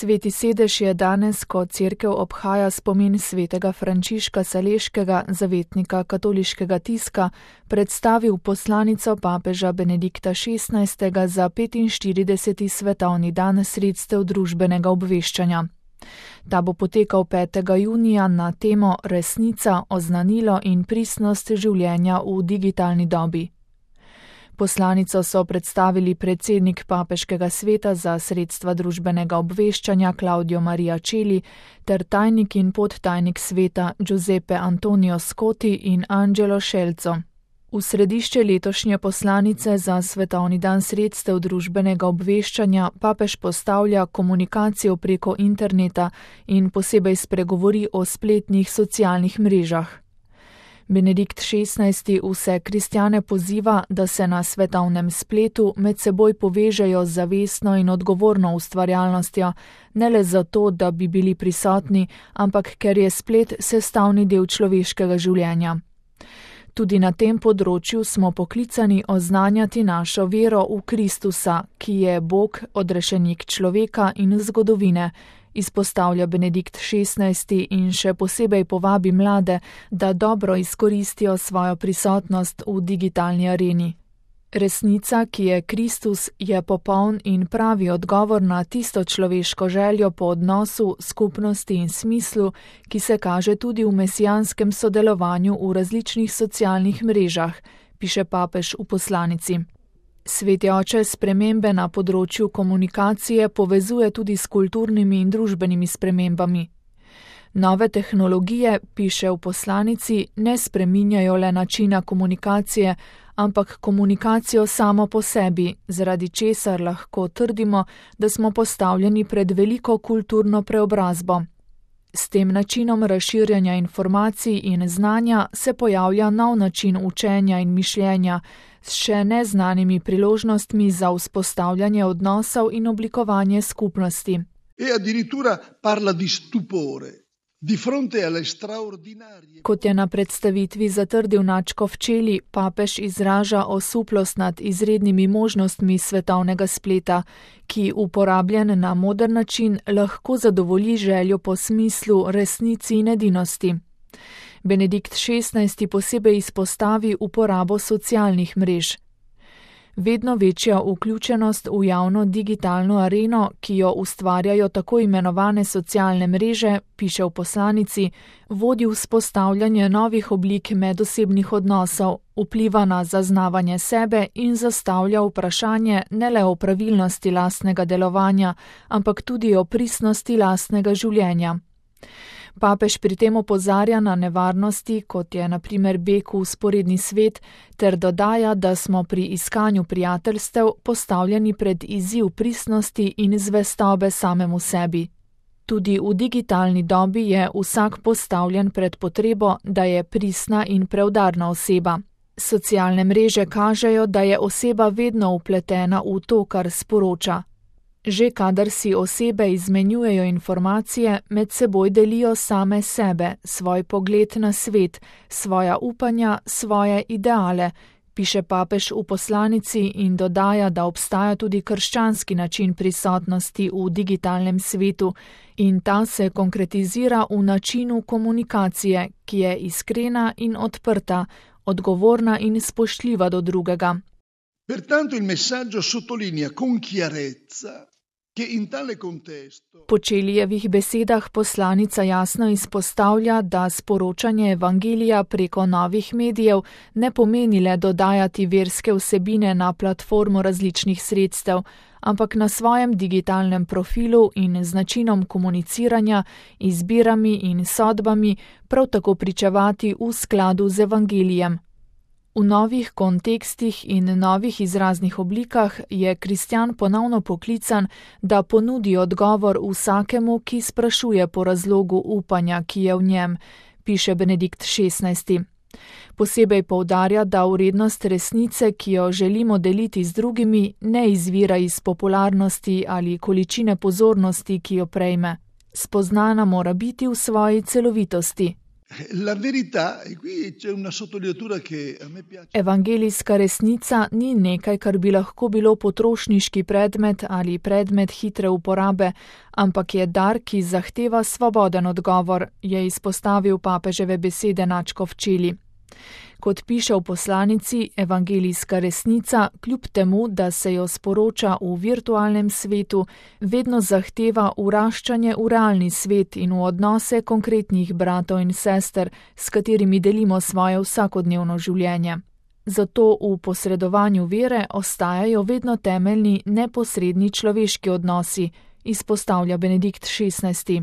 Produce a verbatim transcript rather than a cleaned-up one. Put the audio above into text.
Sveti sedež je danes, ko cerkev obhaja spomin svetega Frančiška Saleškega, zavetnika katoliškega tiska, predstavil poslanico papeža Benedikta šestnajstega za petinštirideseti svetovni dan sredstev družbenega obveščanja. Ta bo potekal petega junija na temo Resnica, oznanilo in pristnost življenja v digitalni dobi. Poslanico so predstavili predsednik papeškega sveta za sredstva družbenega obveščanja Claudio Maria Celi ter tajnik in podtajnik sveta Giuseppe Antonio Scotti in Angelo Scelzo. V središče letošnje poslanice za svetovni dan sredstev družbenega obveščanja papež postavlja komunikacijo preko interneta in posebej spregovori o spletnih socialnih mrežah. Benedikt šestnajsti vse kristjane poziva, da se na svetovnem spletu med seboj povežejo z zavestno in odgovorno ustvarjalnostjo, ne le zato, da bi bili prisotni, ampak ker je splet sestavni del človeškega življenja. Tudi na tem področju smo poklicani oznanjati našo vero v Kristusa, ki je Bog, odrešenik človeka in zgodovine, izpostavlja Benedikt šestnajsti in še posebej povabi mlade, da dobro izkoristijo svojo prisotnost v digitalni areni. Resnica, ki je Kristus, je popoln in pravi odgovor na tisto človeško željo po odnosu, skupnosti in smislu, ki se kaže tudi v mesijanskem sodelovanju v različnih socialnih mrežah, piše papež v poslanici. Sveti oče spremembe na področju komunikacije povezuje tudi s kulturnimi in družbenimi spremembami. Nove tehnologije, piše v poslanici, ne spreminjajo le načina komunikacije, ampak komunikacijo samo po sebi, zaradi česar lahko trdimo, da smo postavljeni pred veliko kulturno preobrazbo. S tem načinom razširjanja informacij in znanja se pojavlja nov način učenja in mišljenja, s še neznanimi priložnostmi za vzpostavljanje odnosov in oblikovanje skupnosti. E addirittura parla di stupore. Di fronte alle straordinarie... Kot je na predstavitvi zatrdil nadškof Celi, papež izraža osuplost nad izrednimi možnostmi svetovnega spleta, ki uporabljen na modern način lahko zadovolji željo po smislu, resnici in edinosti. Benedikt šestnajsti posebej izpostavi uporabo socialnih mrež. Vedno večja vključenost v javno digitalno areno, ki jo ustvarjajo tako imenovane socialne mreže, piše v poslanici, vodi vzpostavljanje novih oblik medosebnih odnosov, vpliva na zaznavanje sebe in zastavlja vprašanje ne le o pravilnosti lastnega delovanja, ampak tudi o pristnosti lastnega življenja. Papež pri tem opozarja na nevarnosti, kot je na primer beg v vzporedni svet, ter dodaja, da smo pri iskanju prijateljstev postavljeni pred izziv pristnosti in zvestobe samemu sebi. Tudi v digitalni dobi je vsak postavljen pred potrebo, da je pristna in preudarna oseba. Socialne mreže kažejo, da je oseba vedno vpletena v to, kar sporoča. Že kadar si osebe izmenjujejo informacije, med seboj delijo same sebe, svoj pogled na svet, svoja upanja, svoje ideale, piše papež v poslanici in dodaja, da obstaja tudi krščanski način prisotnosti v digitalnem svetu in ta se konkretizira v načinu komunikacije, ki je iskrena in odprta, odgovorna in spoštljiva do drugega. Pertanto il messaggio sottolinea con chiarezza che in tale contesto... Po Čelijevih besedah poslanica jasno izpostavlja, da sporočanje evangelija preko novih medijev ne pomeni le dodajati verske vsebine na platformo različnih sredstev, ampak na svojem digitalnem profilu in z načinom komuniciranja, izbirami in sodbami prav tako pričevati v skladu z evangelijem. V novih kontekstih in novih izraznih oblikah je kristjan ponovno poklican, da ponudi odgovor vsakemu, ki sprašuje po razlogu upanja, ki je v njem, piše Benedikt šestnajsti. Posebej poudarja, da vrednost resnice, ki jo želimo deliti z drugimi, ne izvira iz popularnosti ali količine pozornosti, ki jo prejme. Spoznana mora biti v svoji celovitosti. La verità, e qui c'è una sottolineatura che a me piace. Evangelijska resnica ni nekaj, kar bi lahko bilo potrošniški predmet ali predmet hitre uporabe, ampak je dar, ki zahteva svoboden odgovor, je izpostavil papeževe besede nadškof Čeli. Kot piše v poslanici, evangelijska resnica, kljub temu, da se jo sporoča v virtualnem svetu, vedno zahteva vraščanje v realni svet in v odnose konkretnih bratov in sester, s katerimi delimo svoje vsakodnevno življenje. Zato v posredovanju vere ostajajo vedno temeljni neposredni človeški odnosi, izpostavlja Benedikt šestnajsti.